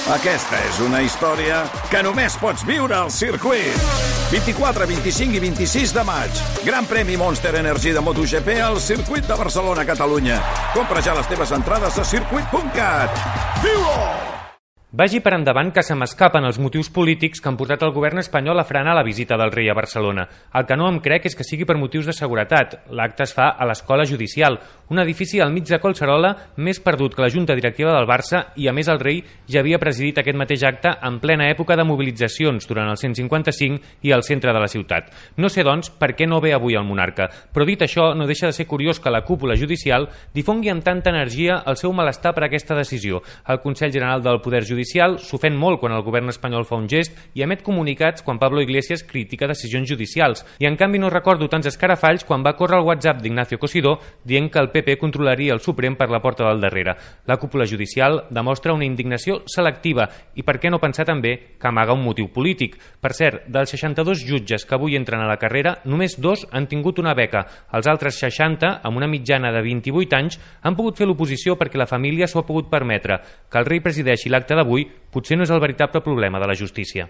Aquesta és una història que només pots viure al circuit. 24, 25 i 26 de maig. Gran premi Monster Energy de MotoGP al circuit de Barcelona, Catalunya. Compra ja les teves entrades a circuit.cat. Viu-ho! Vagi per endavant que se m'escapen els motius polítics que han portat el govern espanyol a frenar la visita del rei a Barcelona. El que no em crec és que sigui per motius de seguretat. L'acte es fa a l'Escola Judicial, un edifici al mig de Collserola més perdut que la Junta Directiva del Barça, i a més el rei ja havia presidit aquest mateix acte en plena època de mobilitzacions durant el 155 i al centre de la ciutat. No sé, doncs, per què no ve avui el monarca, però dit això, no deixa de ser curiós que la cúpula judicial difongui amb tanta energia el seu malestar per aquesta decisió. El Consell General del Poder Judicial s'ofèn molt quan el govern espanyol fa un gest i emet comunicats quan Pablo Iglesias critica decisions judicials. I en canvi no recordo tants escarafalls quan va córrer el WhatsApp d'Ignacio Cosidó dient que el PP controlaria el Suprem per la porta del darrere. La cúpula judicial demostra una indignació selectiva i per què no pensar també que amaga un motiu polític. Per cert, dels 62 jutges que avui entren a la carrera, només 2 han tingut una beca. Els altres 60, amb una mitjana de 28 anys, han pogut fer l'oposició perquè la família s'ho ha pogut permetre. Que el rei presideixi l'acte d'avui potser no és el veritable problema de la justícia.